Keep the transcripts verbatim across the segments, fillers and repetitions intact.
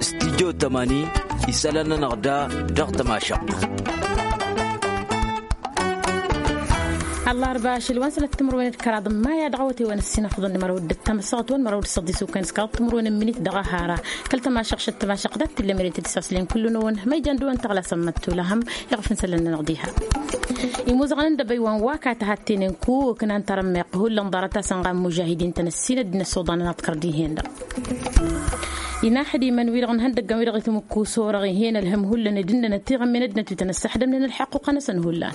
Studyo tămani isălan-nănăɣ da dăɣ-tămašăɣt. Ăllarba ašăl wa n-sănăt timǝrwen d-kăraḍ n-maya dăɣ-awătewăn ăssinăfăḍăn n-mărăw d-ăttăm ăssaɣătwăn mărăw d-săḍis ukăn s-kăraḍ timǝrwen n-minit dăɣ-ahara. Kăl-tămašăɣ šăt tămašăɣ dat-tillămere tădisaslen kullu-năwăn ma ijan dăwăn tăɣlasăm măttula hăm iɣfǝn sălălnănăɣ diha. Imuzăɣăn n-dăbăy wa n-waka tăhattenen ku ǝknan tarămmeɣt hullan ḍarăt-asăn ɣa n-mužahidin-tăn ăssinăt d-inăssoḍanăn ad-kărdihenda. Inaxdimăn wi-dăɣ n-ihăndăggăn wi-dăɣ itǝmǝkkus orăɣ ih'-en ălhăm hullan ed ǝnnănăt tiɣămmen ăddinăt wi tăn-ăssăxdămnen ălḥăqquqa-năsăn hullan.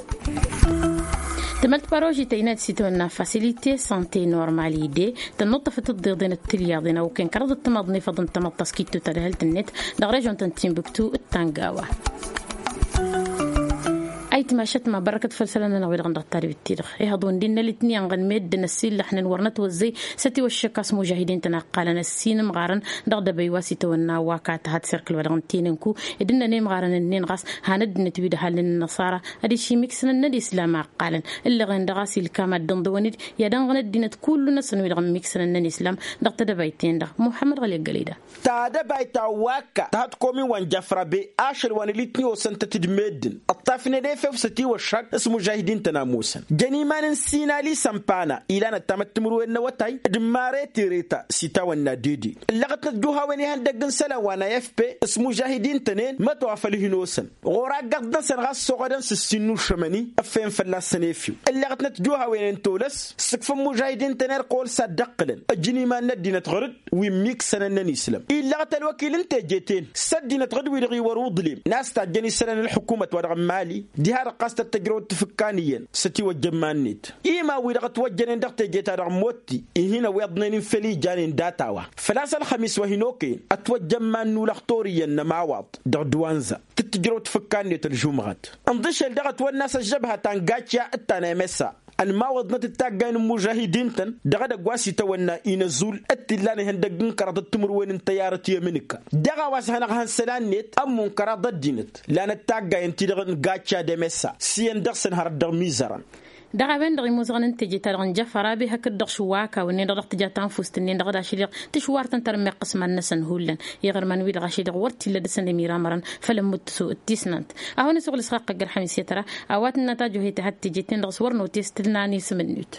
Tămălt paroži tăynat s-itawănna facilite sante normali de tănnuṭṭăfăt ǝḍḍeḍen d-tilyaḍen a okăyăn kăraḍăt timaḍnefăḍ n-tamăḍt ta s-kittu tadhălt-net dăɣ-režon ta n-timbuktu d-tangawa. Ayǝtmašăt ma bărrăkăt făll-isălan-nănăɣ wi-dăɣ n-dăɣ-tadbit-ti-dăɣ. Ihăḍ undinnăl itniyan ɣăn meddǝn ăssiillăxnen wăr nătwăzzăy s-ătiwăššăk a-s mužahidin-tăn a ǝqqalăn ăssiinǝmɣarăn dăɣ-dăbăy wa s-itawănna wa ka tăhăt serkǝl wa dăɣ-ǝntăynen ku ed ǝnnăn imɣarăn-ǝnnin ɣas han ăddinăt wi d-ăhalnen ănnăṣara ad-išim iksǝnăn n-ălislam a ǝqqalăn. Ǝllăɣen dăɣ-a-s ilkam ad-dd-ǝnḍǝwăn-dd i-ad-ănɣăn ăddinăt kullu-năsăn wi-dăɣ ǝmmiksǝnăn n-ălislam dăɣ-tedăbayt-ten-dăɣ muḥămmăd ɣăli ăggălăy da. Tadăbayt ta n-wakka tăhăt komin wa n-jafra be ašăl wa n-elitni osăn-tăt-dd meddǝn ǝṭṭafnen efew s-ătiwăššak s-mužahidin-tăn a ămoosăn jăn iman n-sinali sămpana ilanăt tamăttimǝrwen n-awătay d-mare tereta s-itawănna dede. Ǝllăɣătnăt juhawen ihăndăgg n-isălan wa n-afp s-mužahidin-tăn-en mătwafăl hin-osăn ɣur-aggăḍ-năsăn ɣas soɣădăn s-ǝssin n-ušămăni ǝffăyăn fălla-săn efew. Ǝllăɣătnăt juhawen n-tolăs sǝkfăn mužahidin-tăn erk ɣur-s ad-dd-ăqqǝlăn ǝjǝn iman n-ăddinăt ɣur-dd wi ǝmmiksănăn n-ănislam. Illăɣăt ălwăkil n-teje-ten s-ăddinăt ɣǝd-wi-dăɣ iwărǝw iḍlem n-a-s tajjăn isălan ălḥukumăt wa dăɣ-ămmali diha-dăɣ ɣas tăt-tăjrăwăt tafǝkkan iyyăn s-ătiwăjja iman-net. Iman-wi-dăɣ ătwăjjănen dăɣ-teje-ta-dăɣ n-motti ih'-in ăwweḍnen infel ijanen data-wa făl-a-s ălxămis wa hin-okăyăn ătwăjja iman n-ulăxtor iyyăn n-ămawaḍ dăɣ-dwanza tǝttǝjrăw tafǝkka-net ălžumɣăt. Ǝnḍǝšel dăɣ-ătwănna a-s ăžžăbha ta n-gačya d-ta n-emesa ănmawăḍnăt d-taggay n-imužahidin-tăn dăɣ-edăgg wa s-itawănna inăzul d-t-illan ihăndăgg n-kăraḍăt timǝrwen n-tăyyarăt i-amǝnǝka. Dăɣ-a-wa s-hanăɣ-hăn isălan-net ămmun kăraḍ ăddinăt lanăt taggay ǝnta-i-dăɣ n-gačya d-emesa s-iyyăn dăɣ-săn hărăt dăɣ-imizărăn. Dăɣ-a-wen-dăɣ imuzăɣăn n-teje-ta-dăɣ n-jăfăra a-be hakd-dăɣ šuwaka wǝnnen-dăɣ dăɣ-tǝja ta n-fust-ǝnnin-dăɣ d-ašăl-i-dăɣ tǝšwar-tăn tărmeɣ iqǝsman-năsăn hullan. Iɣărman-wi-dăɣ ašăl-i-dăɣ wăr t-illa dăr-săn ămiramărăn făll-ămmutǝsu d-tisnant. A hawăn-isuɣǝl s-xaqqăggăr ḥamis i-tăra a-wa tǝnna tajohet a had-teje-ten-dăɣ s-wăr notest tǝlnan isǝm-ǝnnut.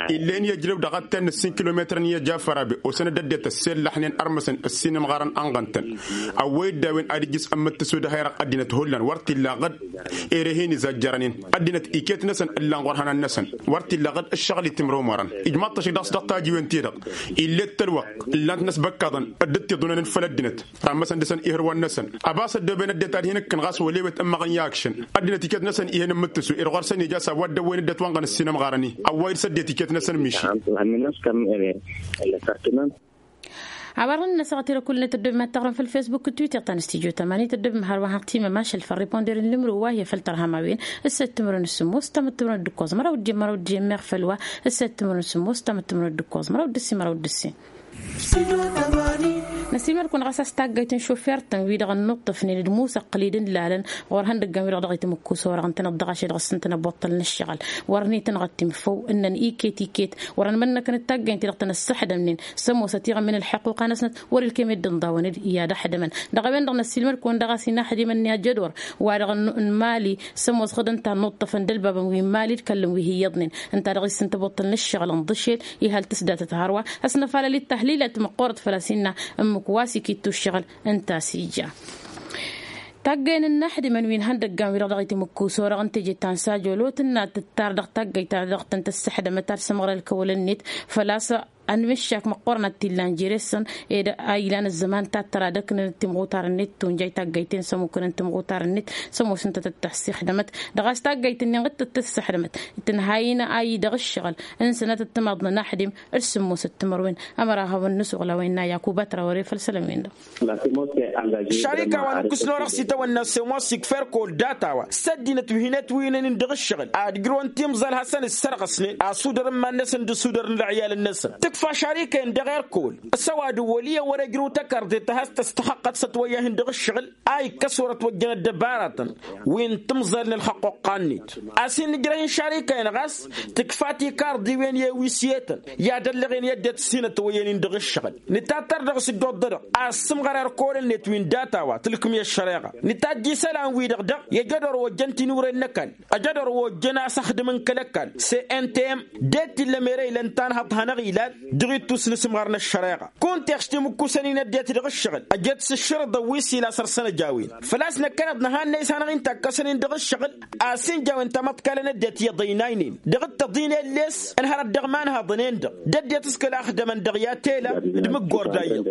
Illen i-ăjrew dăɣ-atten n-ǝssin kilometrăn i-ăjafăr a-be osăn-dd ăddinăt ăssellăxnen ărmăsăn ǝssin ǝmɣarăn ănɣăn-tăn. Ăwwăy-dd a-wen ad-ijjǝs ămmǝttǝsu d-ehăyraɣ ăddinăt hullan wăr t-illa ɣǝd. Ere hin-izajjărăn-in ăddinăt iket-năsăn ǝllan ɣur-ihănan-năsăn. Wăr t-illa ɣǝd ǝššăɣǝl itimrăwmărăn ijmaḍ-t ašǝk dăɣ-s dăɣ-tajiwen-ti-dăɣ. Ill'-e d-tălwăqq ǝllan-t n-asbăkkaḍăn dd-ăttiḍunăn făll-ăddinăt. Tammăsăn dăɣ-săn ihǝrwăn-năsăn ăbas ăddooben ăddinăt ad-hin-ǝkkǝn ɣas wăl' ewet ǝmmăɣăn i-akšăn. Ăddinăt iket-năsăn ih'-en ǝmmǝttǝsu ed ɣur-săn ija s-a-wa dd-ăwwăyăn dd-ătwănɣăn ǝssin-ămɣarăn-i ăwway-dd s-ăddinăt iket-năsăn miši. Hawăr-nănăɣ s-kămm-en ălăsartǝnăn. Hawăr-nănăɣ s-aɣăt-i-dăɣ kull-net ăddobem ad-taɣrǝm făll-facebook d-twitter ta n-studyo tămani tăddobem hărwa hăɣ timămašăl făll-riponder n-lǝmru wa hi-e făll-tărham a-wen. S-săt timǝrwen s-sǝmmos tamăt timǝrwen d-ǝkkoẓ măraw d-ijjăn măraw d-ijjăn meɣ făll-wa. S-săt timǝrwen s-sǝmmos tamăt timǝrwen d-ǝkkoẓ măraw d-ǝssin măraw d-ǝssin. Năsiilmăd-kăwăn ɣas a-s taggayt n-šofert-tăn-wi-dăɣ ănnuṭṭăfnen d-musăqqǝl-i d-ǝnlalăn ɣur-ihăndăggan-wi-dăɣ dăɣ-itǝmǝkkus orăɣ ǝntăneḍ dăɣ-ašăl dăɣ-s ǝntăneḍ buṭṭăl n-ǝššăɣǝl. Wăr nităn ɣăttim făw ǝnnăn iket-iket wăr-ănmănnăkăn d-taggayt-ti-dăɣ tăn-ăssăxdămnen s-ămoosăt iɣămmen ălḥăqquqa-năsnăt wăr-ilkem i-dd-ǝnḍawăn-dd i-ad-ăxdămăn. Dăɣ-a-wen-dăɣ năssiilmăd-kăwăn dăɣ-a-s inaxdimăn-ni ajădor wa-dăɣ n-mali s-ămoos ɣǝd ǝnta ănnuṭṭăfăn d-ălbabăn wi n-mali d-kăllăn wi hi-iyyăḍnen. Ǝnta-dăɣ isǝnta buṭṭăl n-ǝššăɣǝl ǝnḍǝšel ihal tǝsdatăt hărwa. Ăsnăfalăl-dd tahlilat măqqoorăt făl-a-s innă ǝmmǝk wa s-ikittu ǝššăɣǝl ǝnta a-s ija. Taggăyăn n-inaxdimăn wi n-ihăndăggan wi-dăɣ dăɣ-itǝmǝkkus orăɣ n-teje ta n-sajolo tǝnna tǝttar dăɣ-taggăyt-ta-dăɣ tăn-tăssăxdămăt ad-sămɣăr ălkăwăl-net. Făl-a-s ănmǝššak măqqoorăn ad-t-illan jere-săn ed a ilan ăzzăman ta t-tăra d-ăknăn timɣutar-net tunjay taggăyt-en s-ămmukăn timɣutar-net s-ămoosăn-tăt d-tăssăxdămăt. Dăɣ-a-s taggăyt-nin ɣǝd tăt-tăssăxdămăt tǝnha-in a idăɣ ǝššăɣǝl n-sănatăt timaḍ n-inaxdim d-sǝmmosăt timărwen. Ămăra a hawăn-nǝsuɣǝl a-wa innă yakuba trawăre făll-isălan-win-dăɣ. Šarika wa n-ǝkkǝsnăwăr ăɣsitawăn n-asămoos ikfer kăwăl data-wa s-ăddinăt wi hin-ătwǝynen-in dăɣ-ǝššăɣǝl ad-ǝjrăwăn timẓal hasăn-ǝssărɣăsnen asudăr n-iman-năsăn d-asudăr n-ălɣiyalăn-năsăn. Tǝfa šarikăyăn dăɣ-erkol s-ăwadǝm wăl' iyyăn wăr-ejrăw tăkarḍet a has-tăstăxăqqăt s-ătwăyyahin dăɣ-ǝššăɣǝl a ikkăs wăr-ătwăjjăn ăddăbaratăn wi n-timẓal n-ălxăqqoqqan-net. A-s hin-nǝjrăh n-šarikăyăn ɣas tǝkfa tikarḍiwen i-ewis i-etăn i-ad-ăllăɣen i-ăddinăt s-hin-ătwăyyăn-in dăɣ-ǝššăɣǝl. Nǝtattăr dăɣ-s dd-oḍḍădăɣ a ăssǝmɣăr erkol-net wi n-data-wa tǝlkǝm i-ăššăreɣa. Nǝtajj isălan-wi-dăɣ daɣ i-ăjădor wa ojjăn tinuren n-ăkall ăjădor wa ojjăn a-s ăxdǝm n-kăl-ăkall s-e n t m. D-e t-illa mera ila ǝnta a ănhăḍ hanăɣ-ilal dăɣ-ittus n-asǝmɣar n-ăššăreɣa. Kunta ixš timǝkkusăn-in ăddinăt dăɣ-ǝššăɣǝl ăjăt s-ǝššărǝḍăn wi s-ila săr-săn ăjawen. Făl-a-s năkkăneḍ năhanna isănăɣ-in takkăsăn-in dăɣ-ǝššăɣǝl a-s n-jawen tamăḍkalăn ăddinăt iyyăḍ ăynaynen dăɣ-dd-tăḍinen les ănhărăt dăɣ-imanhaḍăn-en-dăɣ d-ăddinăt s-kăla ăxdămăn dăɣ-i ad-t-ela d-imǝggor dayǝḍ.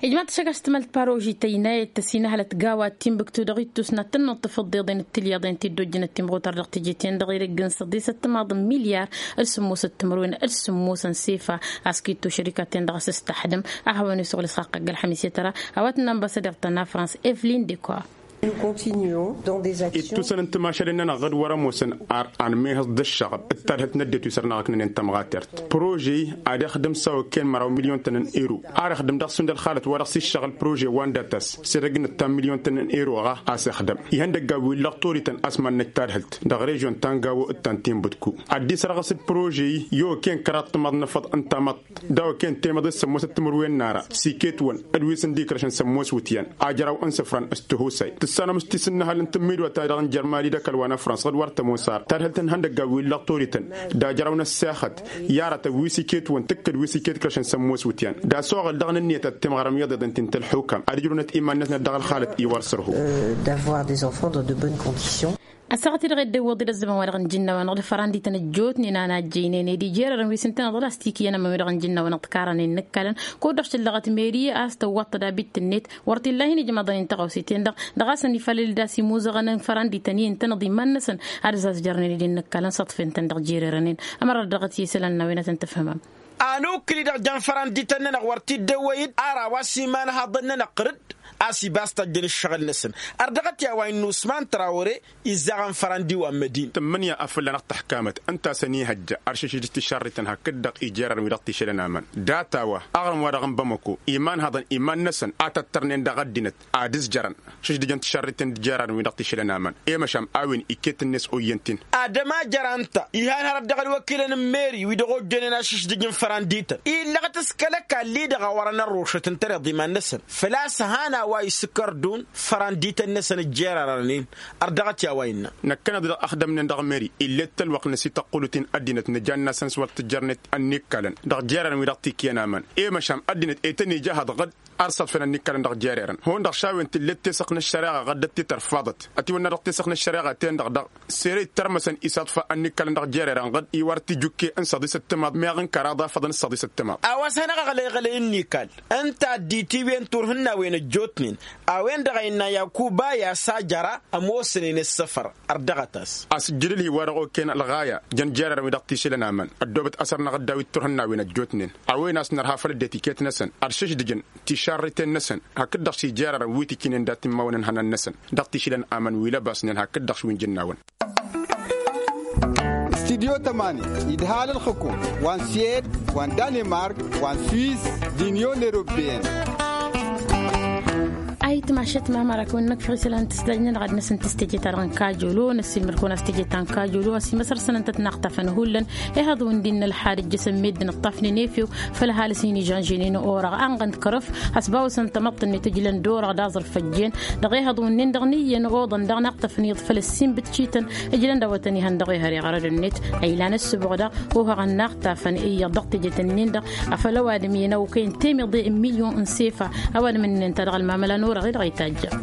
Ijmaḍ-t šăgg a-s tǝmăl d-paroži tăynayăt tăsinăhălăt gawa d-timbǝktu dăɣ-ittus n-ad-tănnuḍ tafǝḍḍeḍen d-tilyaḍen ti dd-ojjănăt timɣutar dăɣ-teje-ten-dăɣ i-dăgg-n săḍisăt timaḍ n-milyar d-sǝmmosăt timǝrwen d-sǝmmos n-sefa. A-s kitto šărika-ten-dăɣ a-s s-tăxdǝm a hawăn-isuɣǝl isɣaqq ăgg-ălxămis i-tăra a-wa tǝnnă anbassadăr ta n-afrans evelin dekor. Ittusăn n-timašalen-nănăɣ ɣǝd wăr-ămoosăn ar anmehăẓ d-ǝššăɣăb d-tadhǝlt n-ăddinăt wi săr-năɣ ǝknănen tămɣatert. Prože-i ad-ixdǝm s-a okăyăn măraw milyon-tăn n-ero ar ixdǝm dăɣ-sund ălxalăt wa dăɣ-s iššăɣǝl prože wa n-datas s-edăgg n-ǝttan milyon-tăn n-ero-ɣa a-s ixdăm ihăndăggan wi n-lăɣ torităn a-s mad-năj tadhǝlt dăɣ-režion ta n-gawo d-ta n-tinbǝtku. Ad-dd-isărɣǝs d-prože-i i-okăyăn kăraḍ timaḍ n-afăḍ n-tamăḍt d-a okăyăn temăḍe s-sămmosăt timǝrwen n-ara s-iket-wăn d-wi s-ǝndi ikrăšăn sămmos wǝtyan ajraw n-isǝfran s-tihusay tǝssanăm s-tisǝnnăhăl n-tǝmmidwa-ta-dăɣ n-jărmali d-ăkall wa n-afrans ɣǝd wăr tămoos ar tadhǝlt n-ihăndăggan wi n-lăɣ torităn d-ajraw n-ăssexăt i-aratăn wi s-iket-wăn tǝkkǝd wi s-iket ikrăšăn sămmos wǝtyan d-asoɣăl dăɣ-nǝnniyăt ad-timɣărăm iyyăḍ iḍen ti n-tălxukam ad-ǝjrǝwnăt iman-năsnăt dăɣ-ălxalăt i-wăr sărhu. D'avoir des enfants dans de bonnes conditions. Ăssaɣăt-i-dăɣ edden iwwăḍ-dd ăzzăman-wa-dăɣ n-ijǝnnawăn-dăɣ d-fărandităn ăjjootnen a n-ajjăynen ed ijrărăn wi s-ǝntăneḍ ălastikǝyăn ămămi-dăɣ n-ijǝnnawăn-dăɣ tikarănen n-ǝkkalăn. Kud-dăɣ šăllăɣăt meri a-s tăwwăḍ tădabit-net wăr t-illa a hin-ijmăḍăn-in tăɣawse-ten-dăɣ dăɣ-a-s ănifalăl d-a-s imuzăɣăn n-fărandităn i-ǝntăneḍ iman-năsăn ad-ăzazjărnen ed innă ǝkkalăn săḍfen-tăn dăɣ-jererănen. Ămăra dăɣ-t i-isălan n-a-wen ad-tăn-tǝfhǝmăm. Anukli-dăɣ jăn fărandităn-nănăɣ wăr t-dd-ăwwăy-dd ar a-wa s-imanhaḍăn-nănăɣ ɣǝr-dd a-s ibas tăjjăn ǝššăɣǝl-năsăn. Ar dăɣ-t i-a-wa innă usman trawăre izzaɣăn fărandi wa n-mădin. Tǝmmǝnǝya a fălla-năɣ tăḥkamăt ǝnta a-s ănihăjja ăršǝšǝj d-tišarriten hakd-dăɣ ijerarăn wi dăɣ-t išălăn aman data-wa aɣrǝm-wa-dăɣ n-bamăko imanhaḍăn iman-năsăn a tăttărnen dăɣ-ăddinăt ad-ǝzjărăn šǝždǝjăn tišarriten d-ijerarăn wi dăɣ-t išălăn aman. I-măšan a-wen iket-net oyyăn-t-in. Ad-ămajăr anta ihan hărăt dăɣ-ălwăkilăn n-meri wi dăɣ-ojjănen ašǝždǝj n-fărandităn illăɣ-t s-kăl-ăkall-i-dăɣ a wărăn ărrošăt ǝntăneḍ iman-năsăn. Făl-a-s han a-wa isǝkkărdun fărandităn-năsăn ǝjjerarăn-in. Ar dăɣ-t i-a-wa innă. Năkkăneḍ-i dăɣ-axdămnen dăɣ-meri ill'-e d-tălwăqq n-asităqqulǝt-in ăddinăt nǝja n-nasăn s-wăr tǝjjărnet ănnikkălăn dăɣ-jerarăn wi dăɣ-t-ikyăn aman. I-măšan ăddinăt e tăn-ija ahăḍăɣ-dd ar săḍfăn ănnikkălăn dăɣ-jererăn hund-dăɣ šawen tǝllet tesăɣt n-ăššăreɣa ɣăddăt ti-tărfaḍăt. Ătiwănna dăɣ-tesăɣt n-ăššăreɣa-ten-dăɣ daɣ sere ittărmăsăn isaḍfa ănnikkălăn dăɣ-jererăn ɣǝd iwar tijukke n-săḍisăt timaḍ meɣ n-kăraḍ afăḍăn s-săḍisăt timaḍ. A-wa s-hanăɣ-aɣlăyɣălăy ǝnnikal ǝnta a dd-itiwen turhǝnnawen ăjjootnen a-wen-dăɣ a innă yakuba i-a-s ajăra ămoosnen ǝssăfăr. Ărdăɣăt-as. Asǝjjǝd ǝlhi-wa-dăɣ okăyăn ălɣaya jăn jererăn wi dăɣ-t išǝlăn aman ăddoobăt asăr-năɣ dd-a-wi t-turhǝnnawen ăjjootnen a-wen a-s nărha făll-ăddinăt iket-năsăn ăršǝždǝjăn tišarriten-năsăn hakd-dăɣ s-ijerarăn wi t-ikǝynen dat-immawăn ǝnhănan-năsăn. Dăɣ-t išǝlăn aman wi lăbasnen hakd-dăɣ s-wi n-jǝnnawăn. Studyo tămani idhal ălxǝkum wa n-swed wa n-danemark wa n-swiss d-inyon europeyăn. Ayǝtmašăt mamărakăwăn n-ăkfăɣ isălan tǝsdajnăn ɣad-năsăn tǝstejeta-dăɣ n-kajolo năssilmăr-kăwăn a-s teje ta n-kajolo a-s imăsăr-săn ǝnta tǝnnaɣtafăn hullan. Ihăḍ wi n-dd-innă ălxad ǝjjăsăn meddǝn ǝṭṭafnen efew făll-ăhalǝs-in ižănženen orăɣ anɣăn d-kărăf. A-s bawăsăn tamăḍt-net ǝjlăn d-orăɣ d-aẓrǝf ăjjeen dăɣ-ehăḍ wi n-nin-dăɣ n-iyyăn oḍăn daɣ n-iɣtăfăn iyyăḍ făll-ăssinbǝt cităn. Ǝjlăn d-awătăn ihăndăɣ ehăr iɣărăd-net a ilan ăssǝboɣ daɣ ohăɣăn n-aɣtafăn iyyăḍ dăɣ-tejet-nin-dăɣ. Afăl ăwadǝm-i n-a okăyăn temǝḍe n-milyon n-sefa ăwadǝm-nin ta dăɣ-ălmamăla n-orăɣ-i-dăɣ itajjăn.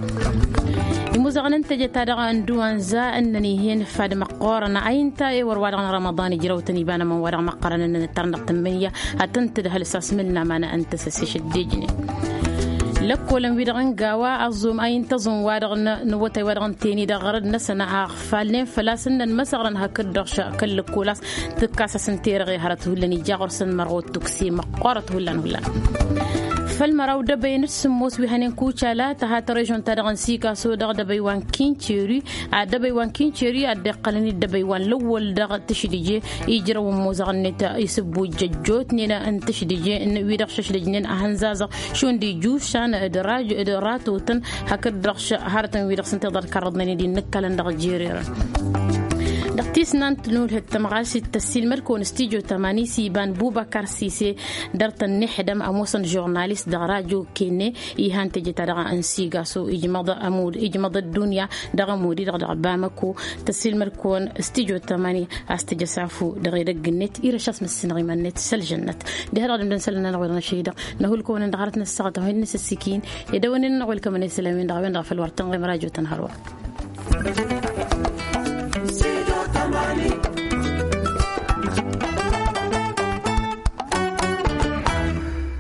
Imuzăɣăn n-teje-ta-dăɣ n-duwanza ǝnnăn ih'-en fad măqqoorăn a inta ewăr wa-dăɣ n-rămăḍan ijrăw-tăn iba n-ămăn wa-dăɣ măqqărăn ǝnnăn ǝttărnăɣ tǝmmǝnǝya ad-tăn-tǝdhăl s-asmǝl n-amană n-tăsăse šăddejnen. Lăkkolăn-wi-dăɣ n-gawa ăẓum a inta ăẓum wa-dăɣ n-awătay wa-dăɣ n-teni dăɣ-ɣărăd-năsăn a ăɣfalnen făl-a-s ǝnnăn măsăɣrăn hakd-dăɣ šăkăl lăkkol a-s tǝkkas-asăn terăɣe hărăt hullan ija ɣur-săn mărɣot tukse măqqoorăt hullan hullan. Făll-măraw dăbăyăn d-sǝmmos wi hănen kucala tăha tărežon-ta-dăɣ n-sigaso dăɣ-dăbăy wa n-kinceri. Ad-dăbăy wa n-kinceri ad-dd-iqqălăn-dd dăbăy wa n-lăwwăl dăɣ-tǝšdǝje ijrăwăn mozăɣ-net isǝbbu jăjjotnen n-tǝšdǝje wi-dăɣ šăšdăjnen ahănzazăɣ šund ijušan d-ratotăn hakd-dăɣ hărătăn wi-dăɣ s-ǝnta i-dd-ărkărrăḍnen-dd innǝkkalăn dăɣ-jererăn. Dăɣ-tisnant n-ulhǝttăm ɣas d-tăssiilmăd-kăwăn stujo tămani s-iba n-bubăkar sise dăr-tăn n-ixdăm ămoosăn žurnalist dăɣ-rajo kenne. Ihan teje-ta-dăɣ n-sigaso ijmăḍ ăddunya dăɣ-ămud-i-dăɣ dăɣ-bamăko. Tăssiilmăd-kăwăn stujo tămani a-s tǝjăs afu dăɣ-edăgg-net irăš a-s măssinăɣ iman-net s-ălžănnăt. Diha-dăɣ dăm-dăn isălan-nănăɣ wi-dăɣ n-ašăy-dăɣ năhull-kăwăn-in dăɣ-arăt n-ăssaɣăt a-wen n-asǝssikin. Ed a-wen-in-nănăɣ welkămăn isălan-win-dăɣ a-wen-dăɣ a făl wăr tănɣem rajo-tăn hărwa.